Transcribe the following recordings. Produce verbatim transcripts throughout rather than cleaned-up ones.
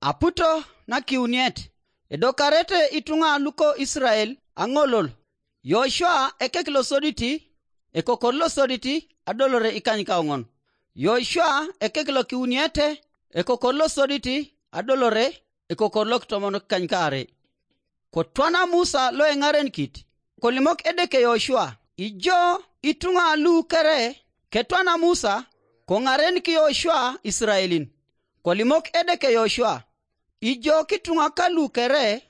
Aputo nakiuniet, edokarete ituŋa luko Isirael aŋolol. Yoshua ekek losoditi, ekokor losoditi adolore ikanykaoŋon. Yoshua ekek lokiuniete, ekokor losoditi adolore ekokor lokitomon kanykaare. Kotwana Musa loeŋarenikit, kolimok Edeke Yoshua, ijo ituŋa lu kere ketwana Musa, koŋarenik Yoshua Isiraelin. Kolimok Edeke Yoshua, ijo kituŋa kalu kere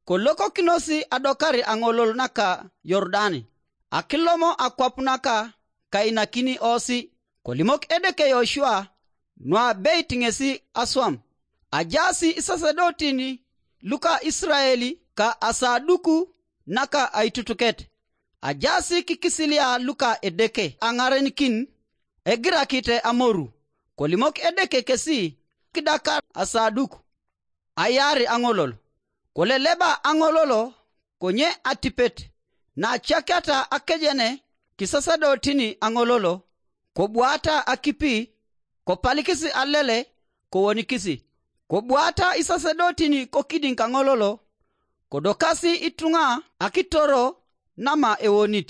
kolokokinos adokar aŋolol naka Yordan, akilomo akwap naka kainakini osi. Kolimok Edeke Yoshua nuabeit ŋesi aswam. Ajaas isasedotin luka Isirael ka asaduku naka aitutuket. Ajaas kikisilia luka Edeke aŋarenikin egirakite amoru. Kolimok Edeke kesi kidakar asaduku, ayaar aŋolol. Koleleba aŋololo konye atipet, naacakata akejene kisasedotin aŋololo, kobuata akipi, kopalikis alele, kowonikis. Kobuata isasedotin kokidiŋ kaŋololo, kodokasi ituŋa akitoro nama ewonit,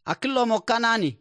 akilomo Kanani.